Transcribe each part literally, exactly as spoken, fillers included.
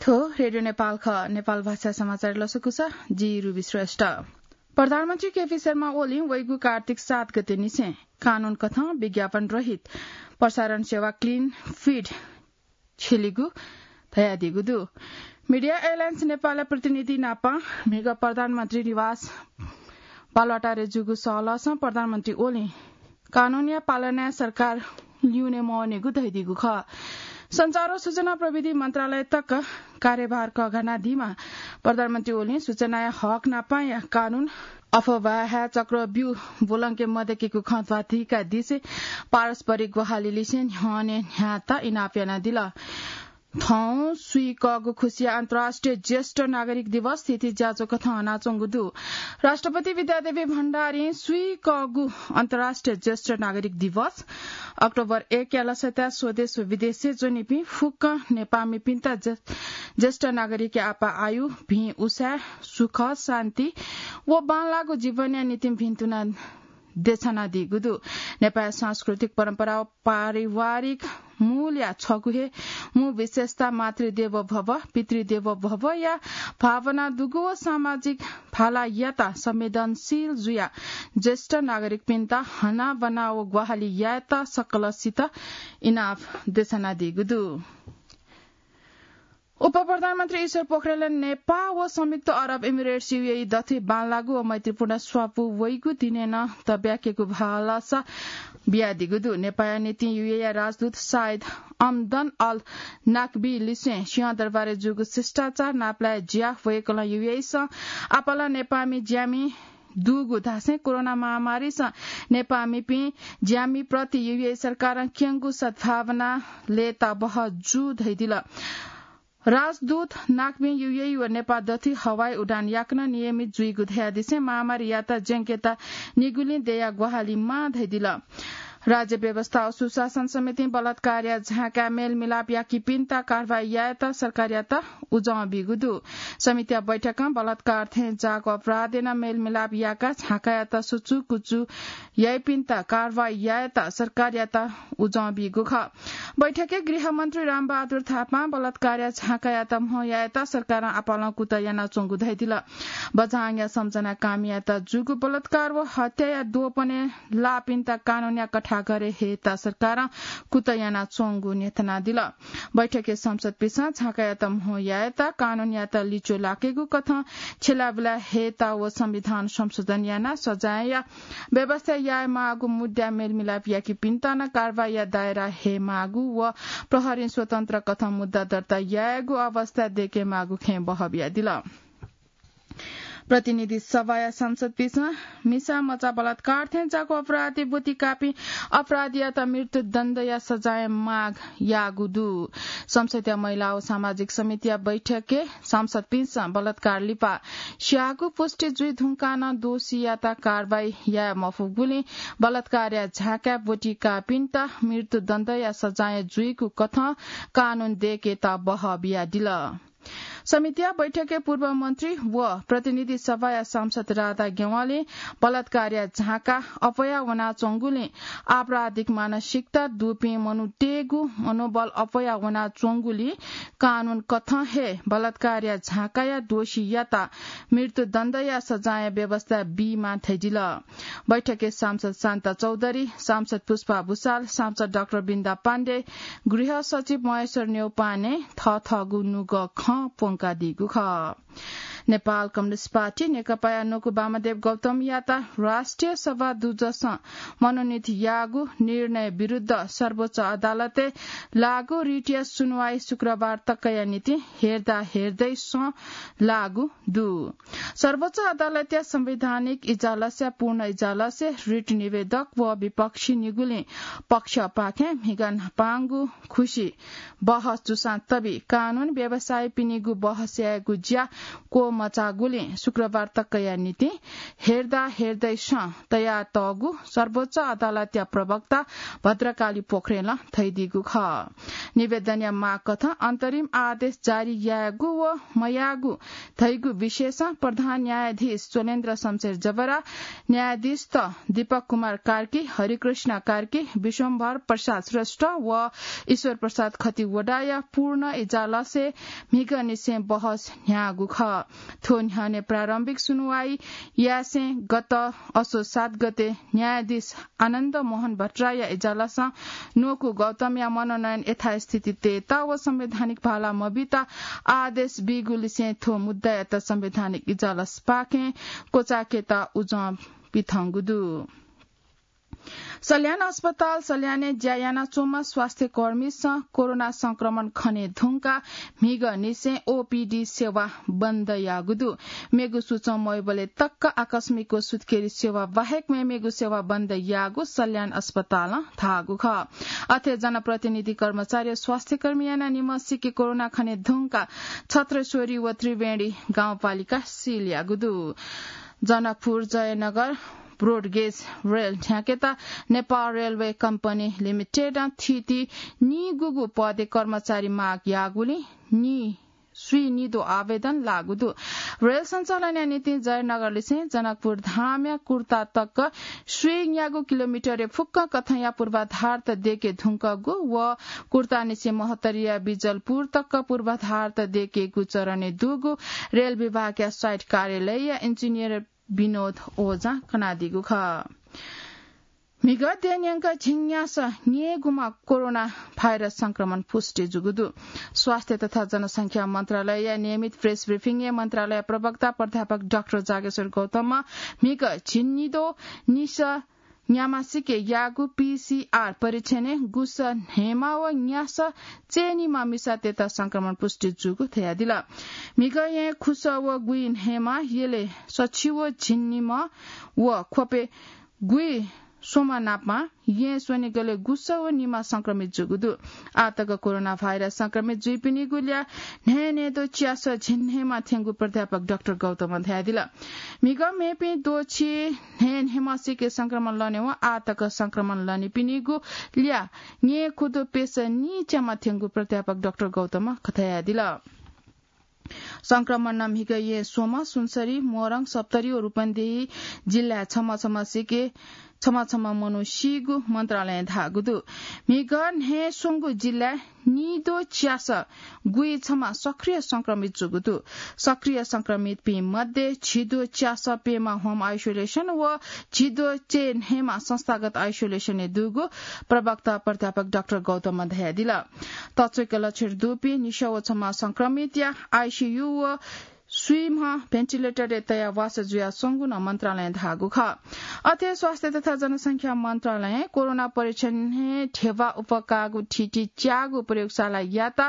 थ्व रेडियो नेपाल खः। नेपाल भाषा समाचार लसकुस, जि रुबी श्रेष्ठ। प्रधानमन्त्री केपी शर्मा ओलीं वइगु कार्तिक सात गते निसें कानून कथं विज्ञापन रहित प्रसारण सेवा क्लिन फिड छिलिगु धयादीगु दु। मिडिया एलायन्स नेपालया प्रतिनिधि नाप म्हिगः प्रधानमन्त्री निवास बालुवाटारय् जूगु सहलहसं प्रधानमन्त्री ओलीं कानूनया पालनाय् सरकार ल्यूने मवनेगु धयादीगु खः। सञ्चार व सूचना प्रविधि मन्त्रालय तक कार्यभार कःघानादीम्ह प्रधानमन्त्री ओलीं सूचनाया हक नापया कानून, अफवाहया चक्रव्यूह ब्वलंके मदयेकेगु खँ ध्वाथुइकादिसें पारस्परिक ग्वाहालिलिसें न्ह्यःने न्ह्यात इनाप यानादिल। थौं स्वीकःगु खुसिया अन्तर्राष्ट्रिय ज्येष्ठ नागरिक दिवस थीथी ज्याझ्वः कथं हनाच्वंगु दु। राष्ट्रपति विद्यादेवी भण्डारीं स्वीकःगु अन्तर्राष्ट्रिय ज्येष्ठ नागरिक दिवस अक्टोबर एक या लसताय् स्वदेश व विदेशय् च्वनीपिं फुक्क नेपाःमिपिन्त ज्ये-, ज्येष्ठ नागरिकया आपाः आयु, भिं उसाँय्, सुख, शान्ति व बांलाःगु जीवनया निंतिं भिन्तुना देछानादीगु दु। नेपाःया सांस्कृतिक परम्परा व पारिवारिक मूलया छगू हे मू विशेषता मातृदेवो भव, पितृदेवो भवया भावना दुगु व सामाजिक भालायात संवेदनशील जुया ज्येष्ठ नागरिकपिन्त हनाबना व ग्वाहालि यायेत सकलसित इनाप देछानादीगु दु। उपप्रधानमन्त्री ईश्वर पोखरेलय् नेपाः व संयुक्त अरब इमिरेट्स, यूएई, दथुइ बांलाःगु व मैत्रीपूर्ण स्वापू वइगु दिनय् नं तब्याकेगु भलसा बियादीगु दु। नेपाःया निंतिं यूएईया राजदूत साइद अमदन अल नाकबी लिसें सिंहदरबारय् जूगु शिष्टाचार नापलाये ज्या वय्कलं यूएईसं आपालं नेपाःमि ज्यामि दुगु धासें कोरोना महामारीसं नेपाःमिपिं ज्यामिप्रति यूएई सरकारं क्यंगु सद्भावना लय्ताबहः जू धयादिल। राजदूत नाकबिं यूएई व नेपाः दथुइ हवाई उडान याकनं नियमित जुइगु धयादिसें महामारीयात ज्यंकेत निगुलिं दयाः ग्वाहालि माः धयादिल। राज्य व्यवस्था व सुशासन समितिं बलात्कारया झाँकाय् मेलमिलाप याकीपिन्त कारवाही यायेत सरकारयात उजं बीगु दु। समितिया बैठकं बलात्कार थें जाःगु अपराधय् नं मेलमिलाप याकाः झाँकायात सुचुकुचु याइपिन्त कारवाही यायेत सरकारयात उजं बीगु खः। बैठकय् गृहमन्त्री रामबहादुर थापां बलात्कारया झाँकायात म्हो यायेत सरकारं आपालं कुतः यानाच्वंगु धयादिल। बझाङया सम्झना कामियात जूगु बलात्कार व हत्याया द्वपनय् लाःपिन्त कानूनया कठाघरय् हयेत सरकारं कुतः यानाच्वंगु न्ह्यथनादिल। बैठकय् सांसदपिन्सं झाँकायात म्हो यायेत कानूनयात लिच्वः लाकेगु कथं छ्यलाबुला हयेत व संविधान संशोधन यानाः सजायया व्यवस्था यायेमाःगु मुद्दा मेलमिलाप याकीपिन्त नं कारवाहीया दायरा हयेमाःगु व प्रहरीं स्वतन्त्र कथं मुद्दा दर्ता यायेगु अवस्था दयेकेमाःगु खँय् बहः बियादिल। प्रतिनिधि सभाया सांसदपिन्सं मिसा मचा बलात्कार थें जाःगु अपराधय् ब्वति काःपिं अपराधीयात मृत्युदण्डया सजाय माग याःगु दु। संसदया महिला व सामाजिक समितिया बैठकय् सांसदपिन्सं बलात्कार लिपा स्याःगु पुष्टि जुइ धुंकाः नं दोषीयात कारवाही याये मफुगुलिं बलात्कारया झाँकाय् ब्वति काःपिन्त मृत्युदण्डया सजाय जुइगु कथं कानून दयेकेत बहः बियादिल। समितिया बैठकय् पूर्व मन्त्री व प्रतिनिधि सभाया सांसद राधा ज्ञवालीं बलात्कारया झाँका अप्वया वनाच्वंगुलिं आपराधिक मानसिकता दुपिं मनूतय्गु मनोबल अप्वया वनाच्वंगुलिं कानून कथं हे बलात्कारया झाँकाया दोषीयात मृत्युदण्डया सजाय व्यवस्था बीमाः धयादिल। बैठकय् सांसद शान्ता चौधरी, सांसद पुष्पा भुसाल, सांसद डाक्टर बिन्दा पाण्डे, गृह सचिव महेश्वर न्यौपाने थःथःगु नुगः खँ प्वंकादीगु खः। नेपाल कम्युनिस्ट पार्टी नेकपाया न्वकू वामदेव गौतमयात राष्ट्रिय सभा दुजसं मनोनित याःगु निर्णय विरुद्ध सर्वोच्च अदालतय् लाःगु रिटया सुनुवाइ शुक्रबार तकया निंतिं हेर्दा हेर्दै सं लाःगु दु। सर्वोच्च अदालतया संवैधानिक इजलासया पूर्ण इजलासय् रिट निवेदक व विपक्षी निगुलिं पक्षपाखें म्हिगः न्हापांगु खुसी बहस जूसां तबि कानून व्यवसायीपिनिगु बहस यायेगु ज्या क्व मचाःगुलिं शुक्रबार तकया निंतिं हेर्दा हेर्दैसं तयातःगु सर्वोच्च अदालतया प्रवक्ता भद्रकाली पोखरेलं धयादीगु खः। निवेदनया माग कथं अन्तरिम आदेश जारी यायेगु व मयायेगु धइगु विषयसं प्रधान न्यायाधीश चोलेन्द्र शमशेर जबरा, न्यायाधीशत दीपक कुमार कार्की, हरिकृष्ण कार्की, विश्वम्भर प्रसाद श्रेष्ठ व ईश्वर प्रसाद खतिवडाया पूर्ण इजलासय् म्हिगःनिसें बहस न्ह्याःगु खः। थ्व न्ह्यःने प्रारम्भिक सुनुवाई यासें गत असोज सात गते न्यायाधीश आनन्द मोहन भट्टराईया इजलासं न्वकू गौतमया मनोनयन यथास्थिति तयेत व संवैधानिक भाला मबीत आदेश बीगुलिसें थ्व मुद्दायात संवैधानिक इजलासपाखें क्वचायेकेत उजं पिथंगु दु। सल्यान अस्पताल सल्यानय् ज्या यानाच्वंम्ह स्वास्थ्यकर्मीसं कोरोना संक्रमण खने धुंकाः म्हिगःनिसें ओपीडी सेवा बन्द याःगु दु। मेगु सूचं मवइबलय् तक आकस्मिक व सुत्केरी सेवा बाहेक मेमेगु सेवा बन्द याःगु सल्यान अस्पतालं धाःगु खः। अथे जनप्रतिनिधि कर्मचारी व स्वास्थ्यकर्मी यानाः निम्हसिके कोरोना खने धुंकाः छत्रेश्वरी व त्रिवेणी गाउँपालिका सिल याःगु दु। जनकपुर जयनगर ब्रोडगेज रेल न्ह्याकेत नेपाल रेलवे कम्पनी लिमिटेडं थीथी नीगूगू पदय् कर्मचारी माग याःगुलिं नी स्वीनिदो आवेदन लाःगु दु। रेल सञ्चालनया निंतिं जयनगरलिसें जनकपुर धामया कुर्ता तक स्वीन्यागू किलोमिटरय् फुक्क कथंया पूर्वाधारत दयेके धुंकूगु व कुर्तानिसें महोत्तरीया बिजलपुर तक पूर्वाधारत दयेकेगु चरणय् दुगु रेल विभागया साइट कार्यालयया इन्जिनियर विनोद ओझां कनादीगु खः। म्हिगः देय् न्यंक झिंन्यासः न्ययेगुमा कोरोना भाइरस संक्रमण पुष्टि जूगु दु। स्वास्थ्य तथा जनसंख्या मन्त्रालयया नियमित प्रेस ब्रिफिङय् मन्त्रालय प्रवक्ता प्राध्यापक डाक्टर जागेश्वर गौतमं म्हिगः झिंनिदो निसः न्याम्हसिके याःगु पीसीआर परीक्षणय् गुसः न्हय्म्ह व न्यासः चय्निम्ह मिसातय्त संक्रमण पुष्टि जूगु धयादिल। म्हिगः येँ खुसः व गुइ न्हय्म्ह, यलय् सछि व झिंनिम्ह व ख्वपय् गुइ स्वम्ह नापं येँ स्वनिगलय् गुसः व निम्ह संक्रमित जूगु दु। आः तक कोरोना भाइरस संक्रमित जुइपिनिगु ल्याः न्हय्न्हय्दो च्यासः झिंन्हय्म्ह थ्यंगु प्राध्यापक डाक्टर गौतमं धयादिल। म्हिगः मेपिं द्वःछि न्हय्न्हय्म्हसिके संक्रमण लनेवं आः तक संक्रमण लनीपिनिगु ल्याः न्यय्खुदु प्यसः नीच्याम्ह थ्यंगु प्राध्यापक डाक्टर गौतमं धयादिल। संक्रमणं म्हिगः येँ स्वम्ह, सुनसरी, मोरङ, सप्तरी व रूपन्देही जिल्लाय् छम्ह छम्हसिके, छम्ह छम्ह मनू सीगु मन्त्रालयं धाःगु दु। म्हिगः न्हय् स्वंगु जिल्लाय् नीद्वः च्यासः गुइछम्ह सक्रिय संक्रमित जूगु दु। सक्रिय संक्रमितपिं मध्ये झिद्वः च्यासः प्यम्ह होम आइसोलेसन व झिद्वः चय्न्हय्म्ह संस्थागत आइसोलेसनय् दुगु प्रवक्ता प्राध्यापक डाक्टर गौतमं धयादिल। तछ्वय्क लक्षण दुपिं निसः व छम्ह संक्रमितया आइसीयू व स्वीम्ह भेन्टिलेटरय् तयाः वासः जुयाच्वंगु नं मन्त्रालयं धाःगु खः। अथे स्वास्थ्य तथा जनसंख्या मन्त्रालयं कोरोना परीक्षणय् ध्यबा उप्वः काःगु थीथी च्याःगु प्रयोगशालायात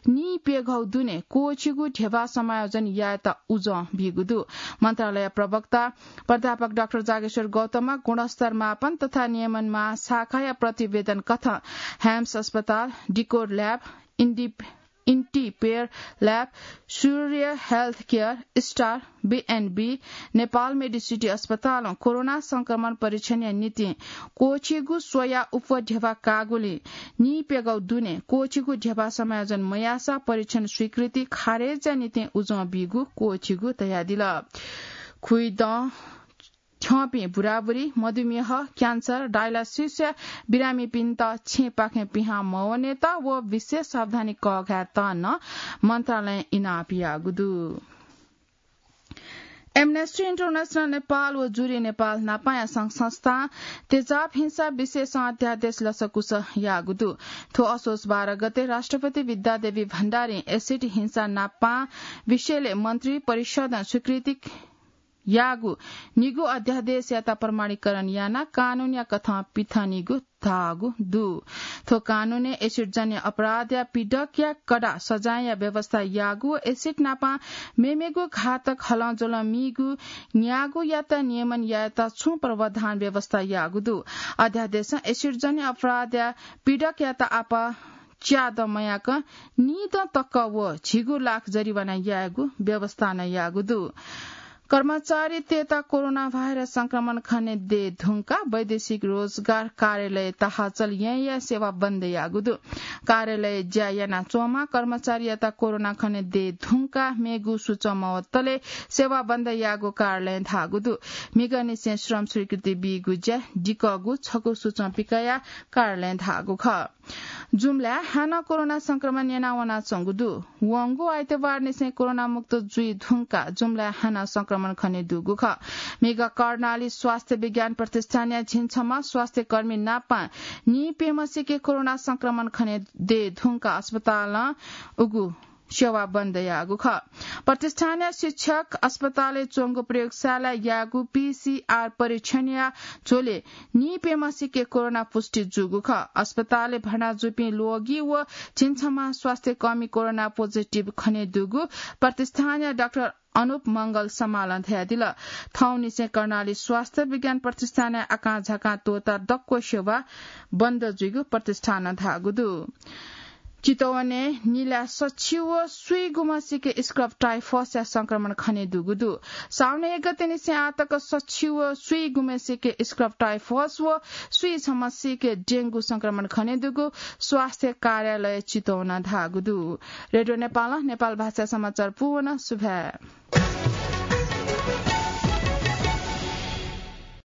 निइप्यघौ दुने क्वःछिगु ध्यबा समायोजन यायेत उजं बीगु दु। मन्त्रालय प्रवक्ता प्राध्यापक डाक्टर जागेश्वर गौतमं गुणस्तर मापन तथा नियमन महाशाखाया प्रतिवेदन कथं ह्याम्स अस्पताल, डिकोर ल्याब, इन्डिप-, इन्टिपेयर lab, Surya health care, star, B N B, Nepal Mediciti अस्पतालं कोरोना संक्रमण परीक्षणया निंतिं क्वःछिगु स्वयाः उप्वः ध्यबा काःगुलिं निइप्यघौ दुने क्वःछिगु ध्यबा समायोजन मयाःसा परीक्षण स्वीकृति खारेजया निंतिं उजं बीगु क्वःछिगु धयादिल। खुइदँ थ्यंपिं बुराबुरी, मधुमेह, क्यान्सर, डायलासिसया बिरामीपिन्त छेँपाखें पिहां मवनेत व विशेष सावधानी कःघायेत नं मन्त्रालयं इनाप याःगु दु। एमनेस्टी इन्टरनेसनल नेपाल व जुरी नेपाल नापांया संघ संस्थां तेजाब हिंसा विषयसं अध्यादेश लसकुस याःगु दु। थ्व असोज बाह्र गते राष्ट्रपति विद्यादेवी भण्डारीं एसिड हिंसा नापां विषयलय् मन्त्री परिषदं स्वीकृति याःगु निगू अध्यादेशयात प्रमाणीकरण यानाः कानूनया कथं पिथंनिगु धाःगु दु। थ्व कानूनय् एसिडजन्य अपराधया पीडकया कडा सजायया व्यवस्था याःगु व एसिड नापां मेमेगु घातक हलंज्वलं मीगु न्यागूयात नियमन यायेत छुं प्रावधान व्यवस्था याःगु दु। अध्यादेशं एसिडजन्य अपराधया पीडकयात आपाः च्यादँ मयाकं निदँ तक व झिगू लाख जरिवाना यायेगु व्यवस्था नं याःगु दु। कर्मचारीतय्त कोरोना भाइरस संक्रमण खने दये धुंकाः वैदेशिक रोजगार कार्यालय तहचल याँया सेवा बन्द याःगु दु। कार्यालय ज्या यानाच्वंम्ह कर्मचारीयात कोरोना खने दये धुंकाः मेगु सुचं मवतले सेवा बन्द याःगु कार्यालयं धाःगु दु। म्हिगःनिसें श्रम स्वीकृति बीगु ज्या दिकःगु छकू सुचं पिकयाः कार्यालयं धाःगु खः। जुम्लाय् हानं कोरोना संक्रमण न्यना वनाच्वंगु दु। वंगु आइतबारनिसें कोरोना मुक्त जुइ धुंकाः जुम्लाय् हानं संक्रमण खने दुगु खः। म्हिगः कर्णाली स्वास्थ्य विज्ञान प्रतिष्ठानया झिंछम्ह स्वास्थ्य कर्मी नापं नीप्यम्हसिके कोरोना संक्रमण खने दये धुंकाः अस्पतालं उगु सेवा बन्द याःगु खः। प्रतिष्ठानया शिक्षक अस्पतालय् च्वंगु प्रयोगशालाय् याःगु पीसीआर परीक्षणया झ्वलय् नीप्यम्हसिके कोरोना पुष्टि जूगु खः। अस्पतालय् भर्ना जूपिं ल्वःगि व झिंछम्ह स्वास्थ्य कर्मी कोरोना पोजिटिभ खने दुगु प्रतिष्ठानया डाक्टर अनुप मंगल समालं धयादिल। थौंनिसें कर्णाली स्वास्थ्य विज्ञान प्रतिष्ठानया आकांझाकां त्वःता दक्व सेवा बन्द जुइगु प्रतिष्ठानं धाःगु दु। चितवनय् निला सछि व स्वीगुम्हसिके स्क्रब टाइफसया संक्रमण खने दुगु दु। साउन एक गतेनिसें आः तक सछि व स्वीगुम्हसिके स्क्रब टाइफस व स्वीछम्हसिके डेंगु संक्रमण खने दुगु स्वास्थ्य कार्यालय चितवनं धाःगु दु। रेडियो नेपालं नेपाल भाषा समाचार पूवन सुभाय्।